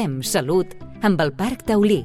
Fem salut amb el Parc Taulí.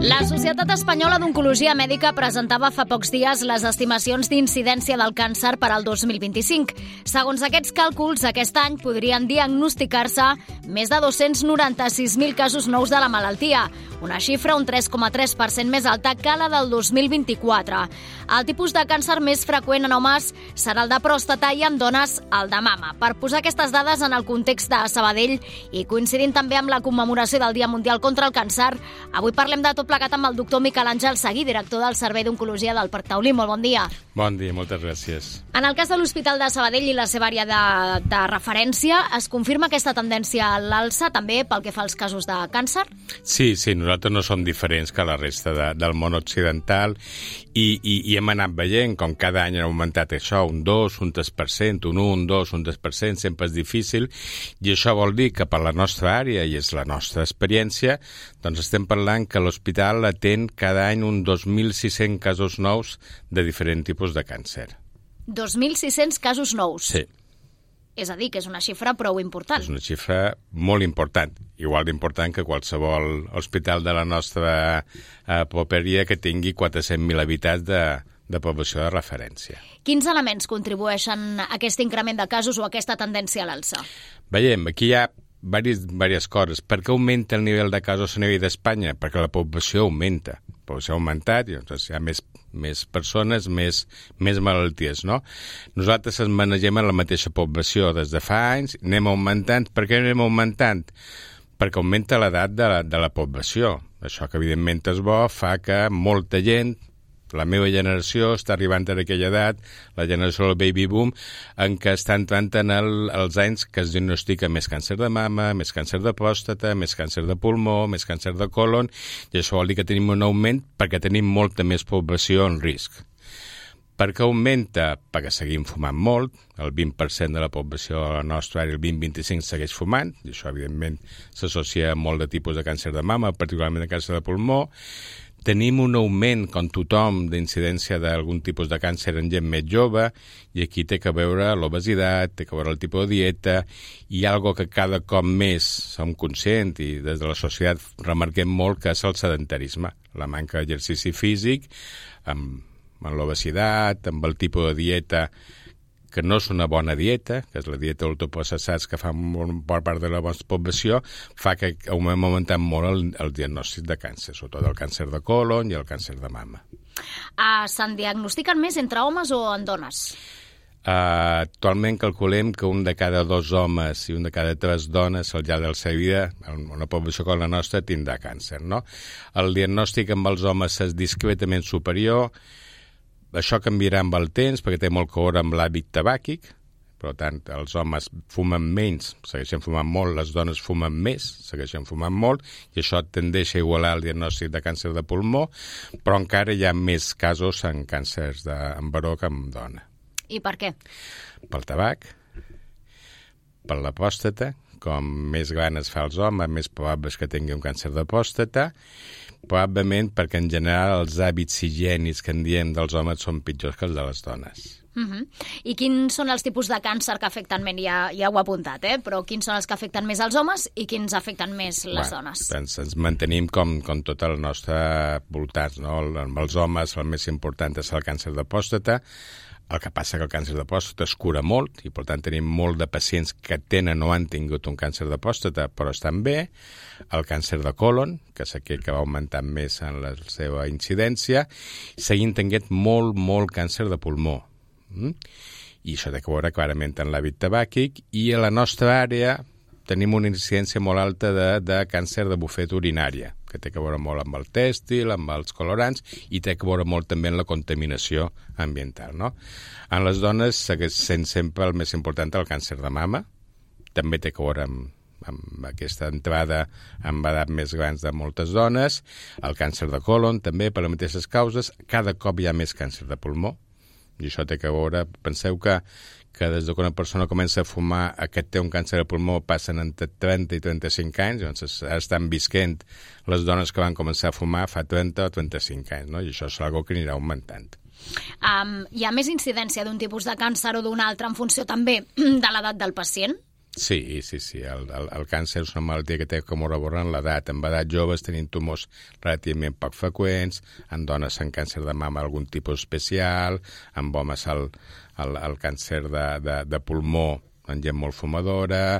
La Societat Espanyola d'Oncologia Mèdica presentava fa pocs dies les estimacions d'incidència del càncer per al 2025. Segons aquests càlculs, aquest any podrien diagnosticar-se més de 296.000 casos nous de la malaltia, una xifra un 3,3% més alta que la del 2024. El tipus de càncer més freqüent en homes serà el de pròstata i en dones el de mama. Per posar aquestes dades en el context de Sabadell i coincidint també amb la commemoració del Dia Mundial contra el Càncer, avui parlem de tot plegat amb el doctor Miquel Àngel Seguí, director del Servei d'Oncologia del Parc Taulí. Molt bon dia. Bon dia, moltes gràcies. En el cas de l'Hospital de Sabadell i la seva àrea de referència, es confirma aquesta tendència a l'alça també pel que fa als casos de càncer? Sí, nosaltres no som diferents que la resta del món occidental i hem anat veient com cada any ha augmentat això, un 2, un 3%, un 1, un 2, un 3%, sempre és difícil, i això vol dir que per la nostra àrea, i és la nostra experiència, doncs estem parlant que l'hospital atén cada any uns 2.600 casos nous de diferents tipus de càncer. 2.600 casos nous? Sí. És a dir, que és una xifra prou important. És una xifra molt important, igual d'important que qualsevol hospital de la nostra properia que tingui 400.000 habitants de població de referència. Quins elements contribueixen a aquest increment de casos o a aquesta tendència a l'alça? Veiem, aquí hi ha diverses coses. Per què augmenta el nivell de casos a nivell d'Espanya? Perquè la població augmenta. La població ha augmentat i doncs hi ha més persones, més malalties, no? Nosaltres ens manegem en la mateixa població des de fa anys, anem augmentant. Per què anem augmentant? Perquè augmenta l'edat de la població. Això que evidentment és bo, fa que molta gent, la meva generació està arribant a aquella edat, la generació del baby boom, en què està entrant en els anys que es diagnostica més càncer de mama, més càncer de pròstata, més càncer de pulmó, més càncer de colon, i això vol dir que tenim un augment perquè tenim molta més població en risc. Per què augmenta? Perquè seguim fumant molt, el 20% de la població de la nostra àrea, el 20-25, segueix fumant, i això evidentment s'associa a molt de tipus de càncer de mama, particularment de càncer de pulmó. Tenim un augment, com tothom, d'incidència d'algun tipus de càncer en gent més jove, i aquí té que veure l'obesitat, té que veure el tipus de dieta, i algo que cada cop més som conscients, i des de la societat remarquem molt, que és el sedentarisme, la manca d'exercici físic, amb l'obesitat, amb el tipus de dieta que no és una bona dieta, que és la dieta ultraprocessats que fa per part de la nostra població, fa que hem augmentat molt el diagnòstic de càncer, sobretot el càncer de colon i el càncer de mama. Se'n diagnostiquen més entre homes o en dones? Actualment calculem que un de cada 2 homes i un de cada 3 dones al llarg de la seva vida, en una població com la nostra, tindrà càncer, no? El diagnòstic amb els homes és discretament superior. Això canviarà amb el temps perquè té molt que veure amb l'hàbit tabàquic, per tant, els homes fumen menys, segueixen fumant molt, les dones fumen més, segueixen fumant molt, i això tendeix a igualar el diagnòstic de càncer de pulmó, però encara hi ha més casos en càncers en varó que en dona. I per què? Pel tabac, per la pròstata, com més gran es fa els homes, més probable és que tingui un càncer de pròstata, probablement perquè en general els hàbits higiènics que en diem dels homes són pitjors que els de les dones. I quins són els tipus de càncer que afecten més? Ja ho he apuntat, però quins són els que afecten més els homes i quins afecten més les dones? Doncs ens mantenim com tot el nostre voltant, no? Amb els homes el més important és el càncer de pròstata. El que passa que el càncer de pròstata es cura molt i, per tant, tenim molt de pacients que tenen o han tingut un càncer de pròstata però estan bé. El càncer de colon, que és aquell que va augmentant més en la seva incidència, seguint tenint molt càncer de pulmó. I això té que veure clarament en l'hàbit tabàquic, i a la nostra àrea tenim una incidència molt alta de càncer de bufeta urinària, que té que veure molt amb el tèxtil, amb els colorants, i té que veure molt també en la contaminació ambiental, no? En les dones segueix sent sempre el més important el càncer de mama, també té que veure amb aquesta entrada amb edat més grans de moltes dones, el càncer de colon també per les mateixes causes, cada cop hi ha més càncer de pulmó, i això té que veure, penseu que des que una persona comença a fumar a que té un càncer de pulmó passen entre 30 i 35 anys, doncs estan visquent les dones que van començar a fumar fa 30 o 35 anys, no? I això és una cosa que anirà augmentant. Hi ha més incidència d'un tipus de càncer o d'un altre en funció també de l'edat del pacient? Sí. El càncer és una malaltia que té com a reborn en l'edat. En edat joves tenim tumors relativament poc freqüents, en dones en càncer de mama algun tipus especial, en homes el càncer de pulmó en gent molt fumadora.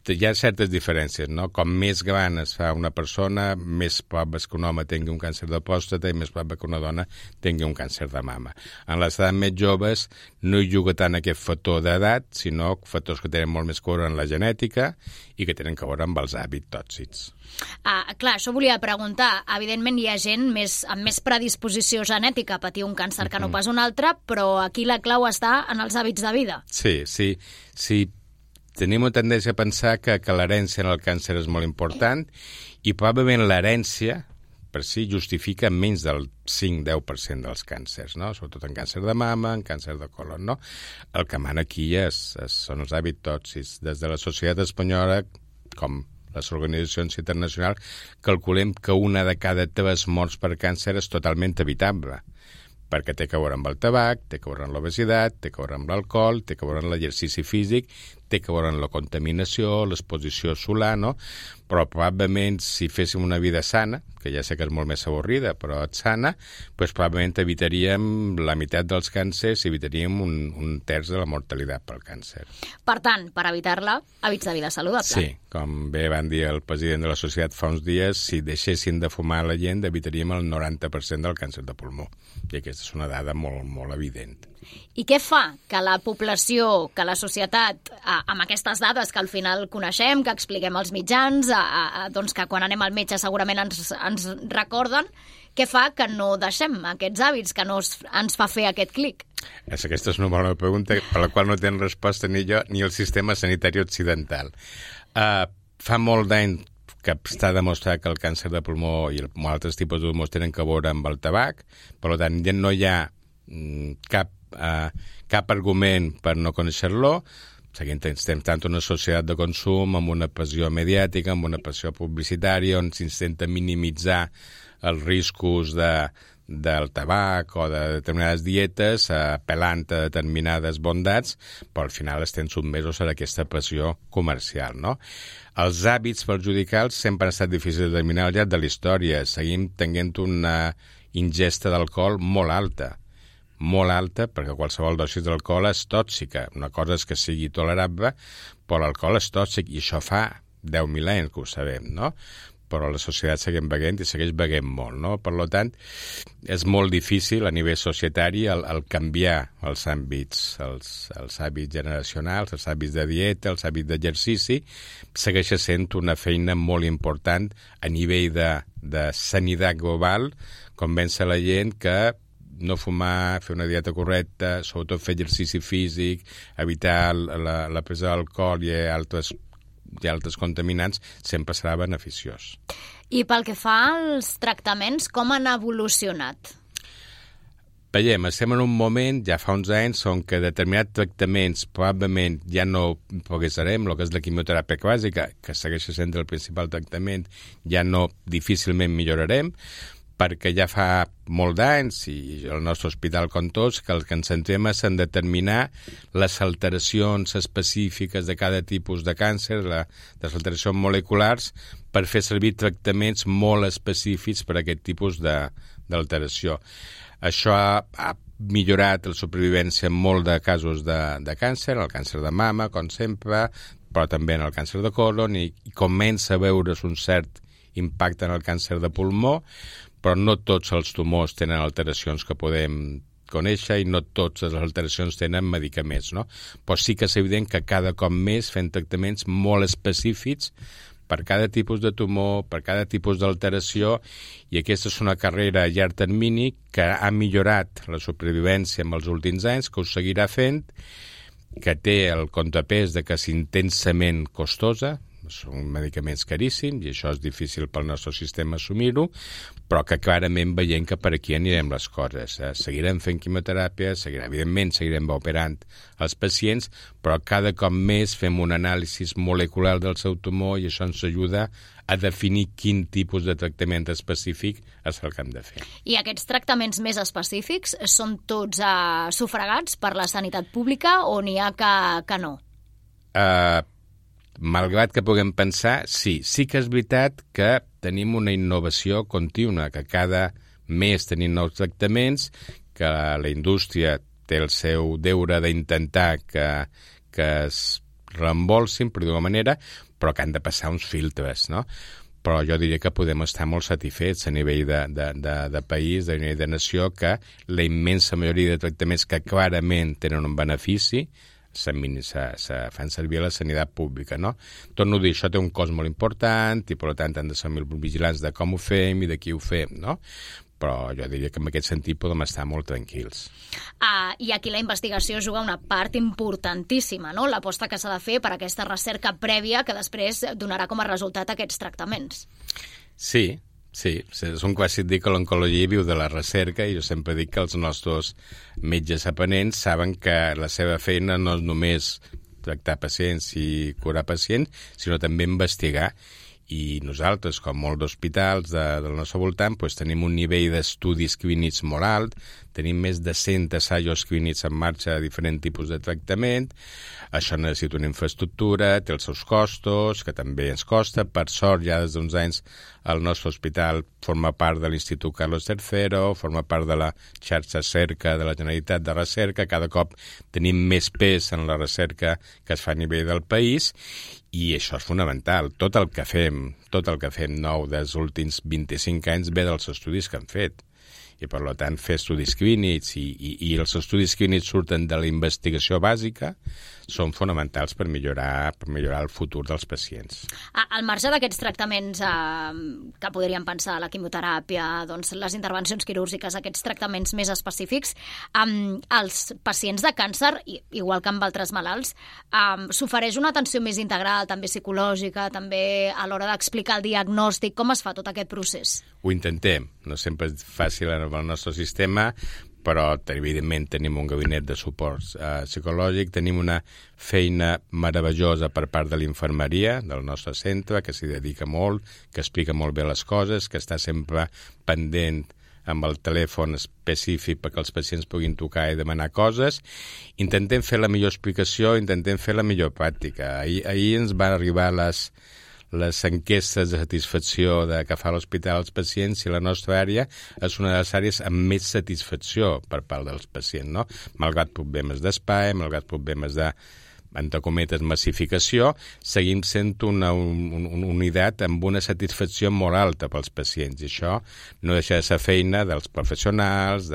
Hi ha certes diferències, no? Com més gran es fa una persona, més probable és que un home tingui un càncer de pròstata i més probable que una dona tingui un càncer de mama. En les edats més joves no hi juga tant aquest factor d'edat, sinó factors que tenen molt més que veure en la genètica i que tenen que veure amb els hàbits tòxics. Clar, això volia preguntar. Evidentment hi ha gent amb més predisposició genètica a patir un càncer que no pas un altre, però aquí la clau està en els hàbits de vida. Sí. Tenim una tendència a pensar que l'herència en el càncer és molt important i probablement l'herència per si justifica menys del 5-10% dels càncers, no? Sobretot en càncer de mama, en càncer de colon, no? El que mana aquí són els hàbits tòxics. Des de la societat espanyola, com les organitzacions internacionals, calculem que una de cada 3 morts per càncer és totalment evitable, perquè té que veure amb el tabac, té que veure amb l'obesitat, té que veure amb l'alcohol, té que veure amb l'exercici físic, té que veure amb la contaminació, l'exposició solar, no? Però probablement si féssim una vida sana, que ja sé que és molt més avorrida, però sana, doncs probablement evitaríem la meitat dels càncers i evitaríem un terç de la mortalitat pel càncer. Per tant, per evitar-la, hàbits de vida saludable. Sí, com bé van dir el president de la societat fa uns dies, si deixessin de fumar la gent, evitaríem el 90% del càncer de pulmó. I aquesta és una dada molt, molt evident. I què fa que la població, que la societat, amb aquestes dades que al final coneixem, que expliquem als mitjans, doncs que quan anem al metge segurament ens recorden, què fa que no deixem aquests hàbits, que no ens fa fer aquest clic? Aquesta és una bona pregunta per la qual no tenen resposta ni jo ni el sistema sanitari occidental. Fa molt d'anys que està demostrat que el càncer de pulmó i altres tipus de tumors tenen que veure amb el tabac, per tant ja no hi ha cap argument per no conèixer-lo. Seguim tant una societat de consum amb una pressió mediàtica, amb una pressió publicitària on s'intenta minimitzar els riscos del tabac o de determinades dietes, apel·lant a determinades bondats, però al final estem sotmesos a aquesta pressió comercial, no? Els hàbits perjudicals sempre han estat difícils de determinar al llarg de la història. Seguim tenint una ingesta d'alcohol molt alta, perquè qualsevol dosi d'alcohol és tòxica. Una cosa és que sigui tolerable, però l'alcohol és tòxic, i això fa 10.000 anys que ho sabem, no? Però la societat seguim beguent i segueix beguent molt, no? Per tant, és molt difícil a nivell societari el canviar els hàbits, els hàbits generacionals, els hàbits de dieta, els hàbits d'exercici. Segueix sent una feina molt important a nivell de sanitat global, convèncer la gent que no fumar, fer una dieta correcta, sobretot fer exercici físic, evitar la presa d'alcohol i altres contaminants, sempre serà beneficiós. I pel que fa als tractaments, com han evolucionat? Veiem, estem en un moment, ja fa uns anys, on que determinats tractaments probablement ja no progressarem, el que és la quimioteràpia clàssica, que segueix sent el principal tractament, ja no difícilment millorarem, perquè ja fa molt d'anys, i el nostre hospital com tots, que el que ens centrem és en determinar les alteracions específiques de cada tipus de càncer, les alteracions moleculars, per fer servir tractaments molt específics per a aquest tipus d'alteració. Això ha millorat la supervivència en molt de casos de càncer, el càncer de mama, com sempre, però també en el càncer de colon, i comença a veure's un cert impacte en el càncer de pulmó, però no tots els tumors tenen alteracions que podem conèixer i no totes les alteracions tenen medicaments, no? Però sí que és evident que cada cop més fem tractaments molt específics per cada tipus de tumor, per cada tipus d'alteració, i aquesta és una carrera a llarg termini que ha millorat la supervivència en els últims anys, que ho seguirà fent, que té el contrapès de que és intensament costosa, són medicaments caríssims i això és difícil pel nostre sistema assumir-ho, però que clarament veiem que per aquí anirem les coses. Seguirem fent quimioteràpia, evidentment seguirem operant els pacients, però cada cop més fem un anàlisi molecular del seu tumor i això ens ajuda a definir quin tipus de tractament específic és el que hem de fer. I aquests tractaments més específics són tots sufragats per la sanitat pública o n'hi ha que no? malgrat que puguem pensar, sí que és veritat que tenim una innovació contínua, que cada mes tenim nous tractaments, que la indústria té el seu deure d'intentar que es reembolsin, per d'una manera, però que han de passar uns filtres, no? Però jo diria que podem estar molt satisfets a nivell de país, a nivell de nació, que la immensa majoria de tractaments que clarament tenen un benefici se fan servir a la sanitat pública, no? Torno a dir, això té un cost molt important i, per tant, han de ser molt vigilants de com ho fem i de qui ho fem, no? Però jo diria que en aquest sentit podem estar molt tranquils. I aquí la investigació juga una part importantíssima, no? L'aposta que s'ha de fer per aquesta recerca prèvia que després donarà com a resultat aquests tractaments. Sí, és un clàssic dir que l'oncologia viu de la recerca i jo sempre dic que els nostres metges aprenents saben que la seva feina no és només tractar pacients i curar pacients, sinó també investigar. I nosaltres, com molts hospitals del nostre voltant, tenim un nivell d'estudis clínics molt alt, tenim més de 100 assajos clínics en marxa de diferents tipus de tractament. Això necessita una infraestructura, té els seus costos, que també ens costa. Per sort, ja des d'uns anys, el nostre hospital forma part de l'Institut Carlos III, forma part de la xarxa Cerca de la Generalitat de Recerca. Cada cop tenim més pes en la recerca que es fa a nivell del país i això és fonamental. Tot el que fem nou dels últims 25 anys ve dels estudis que han fet. I, per tant, fer estudis clínics i els estudis clínics surten de la investigació bàsica són fonamentals per millorar el futur dels pacients. Al marge d'aquests tractaments que podríem pensar, la quimioteràpia, doncs les intervencions quirúrgiques, aquests tractaments més específics, als pacients de càncer, igual que amb altres malalts, s'ofereix una atenció més integral, també psicològica, també a l'hora d'explicar el diagnòstic. Com es fa tot aquest procés? Ho intentem. No sempre és fàcil en el nostre sistema, però evidentment tenim un gabinet de suport psicològic, tenim una feina meravellosa per part de l'infermeria del nostre centre, que s'hi dedica molt, que explica molt bé les coses, que està sempre pendent amb el telèfon específic perquè els pacients puguin trucar i demanar coses. Intentem fer la millor explicació, intentem fer la millor pràctica. Ahir ens van arribar les enquestes de satisfacció que fa l'hospital als pacients i la nostra àrea és una de les àrees amb més satisfacció per part dels pacients, no? Malgrat problemes d'espai, malgrat problemes de, entre cometes, massificació, seguim sent una unitat amb una satisfacció molt alta pels pacients. I això no deixa de ser feina dels professionals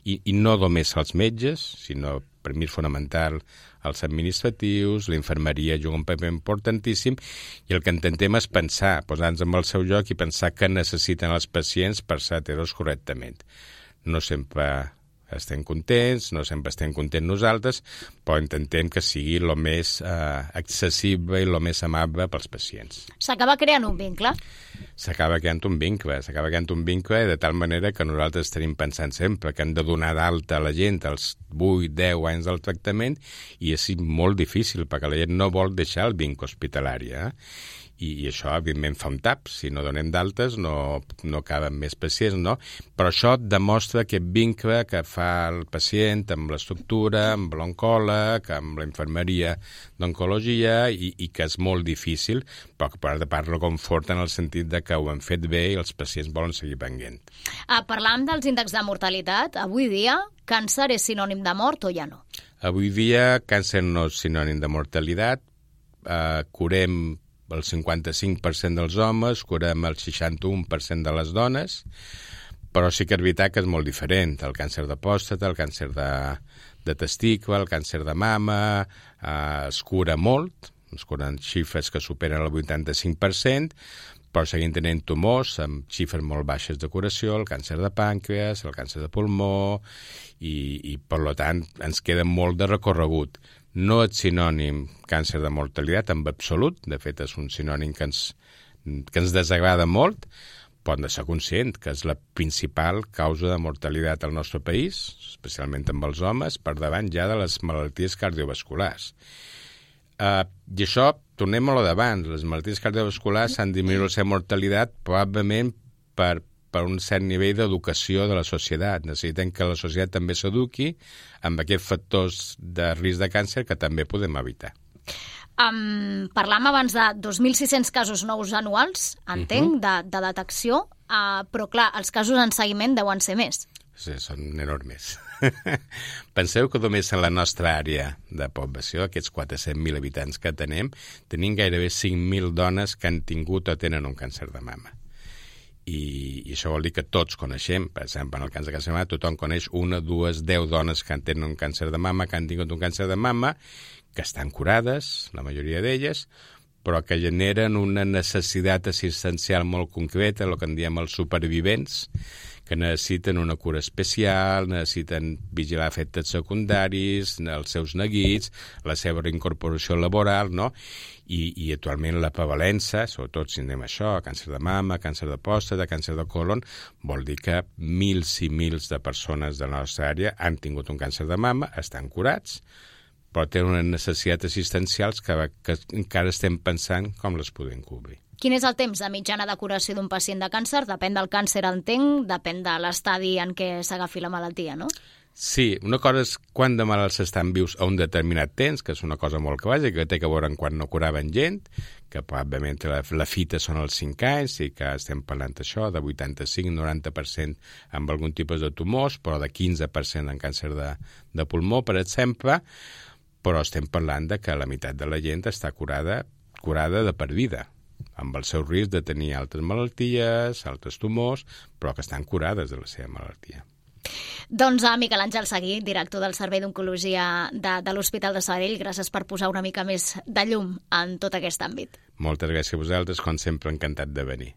i no només els metges, sinó, per mi és fonamental, els administratius, la infermeria juga un paper importantíssim i el que intentem és pensar, posar-nos en el seu lloc i pensar què necessiten els pacients per ser atesos correctament. No sempre estem contents, no sempre estem contents nosaltres, però intentem que sigui el més accessible i el més amable pels pacients. S'acaba creant un vincle? S'acaba creant un vincle de tal manera que nosaltres tenim pensant sempre que hem de donar d'alta a la gent als 8-10 anys del tractament i és molt difícil perquè la gent no vol deixar el vincle hospitalari, I això, evidentment, fa un tap. Si no donem d'altes, no caben més pacients, no? Però això demostra aquest vincle que fa el pacient amb l'estructura, amb l'oncòleg, amb la infermeria d'oncologia i que és molt difícil, però que per part lo conforta en el sentit de que ho han fet bé i els pacients volen seguir venint. Parlàvem dels índexs de mortalitat. Avui dia, càncer és sinònim de mort o ja no? Avui dia, càncer no és sinònim de mortalitat. Curem el 55% dels homes, curem el 61% de les dones, però sí que és veritat que és molt diferent. El càncer de pròstata, el càncer de testicle, el càncer de mama, es cura molt, es curen xifres que superen el 85%, però seguim tenint tumors amb xifres molt baixes de curació, el càncer de pàncreas, el càncer de pulmó, i per tant ens queda molt de recorregut. No és sinònim càncer de mortalitat en absolut, de fet és un sinònim que ens desagrada molt, però hem de ser conscient que és la principal causa de mortalitat al nostre país, especialment amb els homes, per davant ja de les malalties cardiovasculars. I això, tornem a lo d'abans, les malalties cardiovasculars han disminuït la seva mortalitat probablement per un cert nivell d'educació de la societat. Necessitem que la societat també s'eduqui amb aquests factors de risc de càncer que també podem evitar. Parlàvem abans de 2.600 casos nous anuals, entenc, de detecció, però clar, els casos en seguiment deuen ser més. Sí, són enormes. Penseu que només en la nostra àrea de població, aquests 400.000 habitants que tenim gairebé 5.000 dones que han tingut o tenen un càncer de mama. I això vol dir que tots coneixem, per exemple, en el càncer de mama, tothom coneix 1, 2, 10 dones que tenen un càncer de mama, que han tingut un càncer de mama, que estan curades, la majoria d'elles, però que generen una necessitat assistencial molt concreta, el que en diem els supervivents, que necessiten una cura especial, necessiten vigilar efectes secundaris, els seus neguits, la seva reincorporació laboral, no? I actualment la prevalença, sobretot si anem a això, càncer de mama, càncer de pròstata, càncer de colon, vol dir que mils i mils de persones de la nostra àrea han tingut un càncer de mama, estan curats, però tenen unes necessitats assistencials que encara estem pensant com les podem cobrir. Quin és el temps de mitjana de curació d'un pacient de càncer? Depèn del càncer, entenc, depèn de l'estadi en què s'agafi la malaltia, no? Sí, una cosa és quan de malalts estan vius a un determinat temps, que és una cosa molt bàsica, que té a veure amb quan no curaven gent, que probablement la fita són els 5 anys, i que estem parlant d'això, de 85-90% amb algun tipus de tumors, però de 15% en càncer de pulmó, per exemple, però estem parlant de que la meitat de la gent està curada de per vida, amb el seu risc de tenir altres malalties, altres tumors, però que estan curades de la seva malaltia. Doncs a Miquel Àngel Seguí, director del Servei d'Oncologia de l'Hospital de Sabadell, gràcies per posar una mica més de llum en tot aquest àmbit. Moltes gràcies a vosaltres, com sempre encantat de venir.